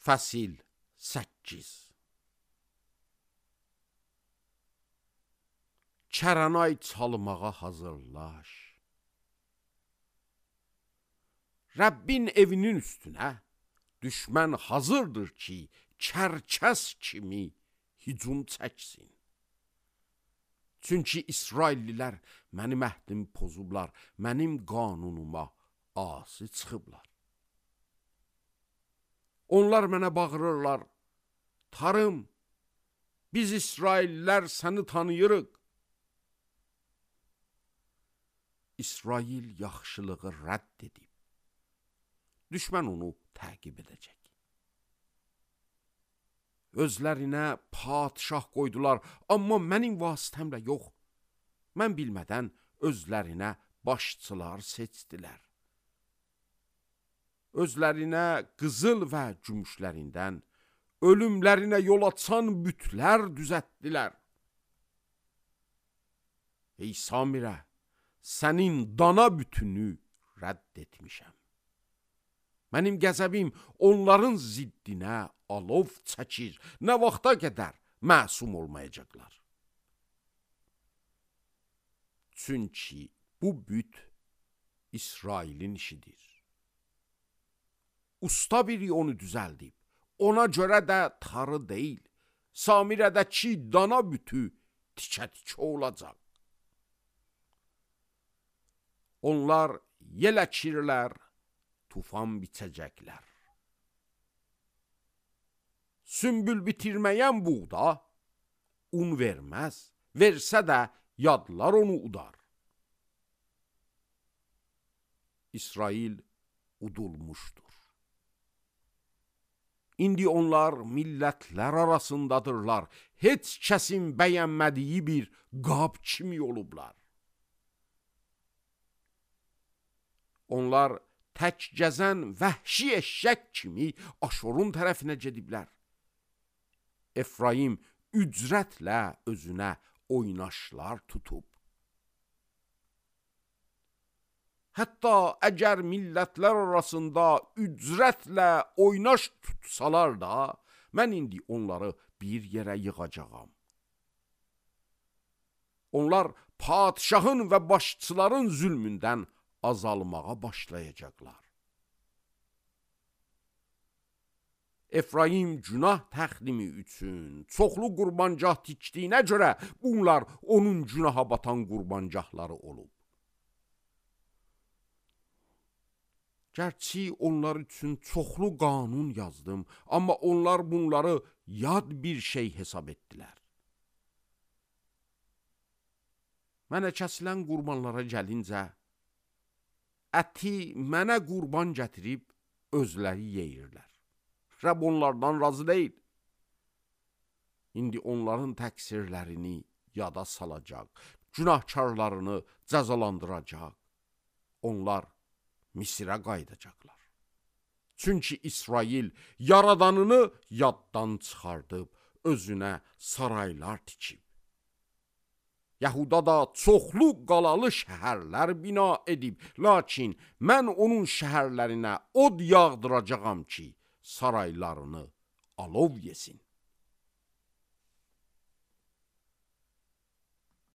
Fəsil 8. Kəranay çalmağa hazırlaş. Rəbbin evinin üstünə düşmən hazırdır ki, kərkəs kimi hücum çəksin. Çünki İsraillilər mənim əhdimi pozublar, mənim qanunuma asi çıxıblar. Onlar mənə bağırırlar, tarım, biz İsraillilər səni tanıyırıq. İsrail yaxşılığı rədd edib, düşmən onu təqib edəcək. Özlərinə padişah qoydular, amma mənim vasitəmlə yox. Mən bilmədən özlərinə başçılar seçdilər. Özlərinə qızıl və gümüşlərindən, ölümlərinə yol açan bütlər düzəltdilər. Ey Samirə, sənin dana bütünü rədd etmişəm. Mənim qəzəbim onların ziddinə alov çəkir, nə vaxta qədər məsum olmayacaqlar. Çünki bu büt İsrailin işidir. Usta biri onu düzəldib, ona görə də tarı deyil, Samirədəki dana bütü tikə-tikə olacaq. Onlar yel əkirlər, tufan biçəcəklər. Sümbül bitirməyən buğda un verməz, versə də yadlar onu udar. İsrail udulmuşdur. İndi onlar millətlər arasındadırlar, heç kəsin bəyənmədiyi bir qab kimi olublar. Onlar tək gəzən vəhşi eşşək kimi Aşurun tərəfinə gediblər. Efraim ücrətlə özünə oynaşlar tutub. Hətta əgər millətlər arasında ücrətlə oynaş tutsalar da, mən indi onları bir yerə yığacağam. Onlar padişahın və başçıların zülmündən azalmağa başlayacaqlar. Efraim günah təxdimi üçün çoxlu qurbancah tikdiyinə görə bunlar onun günaha batan qurbancahları olub. Gərçi onlar üçün çoxlu qanun yazdım, amma onlar bunları yad bir şey hesab etdilər. Mənə kəsilən qurbanlara gəlincə, əti mənə qurban gətirib özləri yeyirlər. Rəbb onlardan razı deyil. İndi onların təqsirlərini yada salacaq, günahkarlarını cəzalandıracaq. Onlar Misirə qayıdacaqlar. Çünki İsrail yaradanını yaddan çıxardıb, özünə saraylar tikib. Yahuda da çoxlu qalalı şəhərlər bina edib, lakin mən onun şəhərlərinə od yağdıracağam ki, saraylarını alov yesin.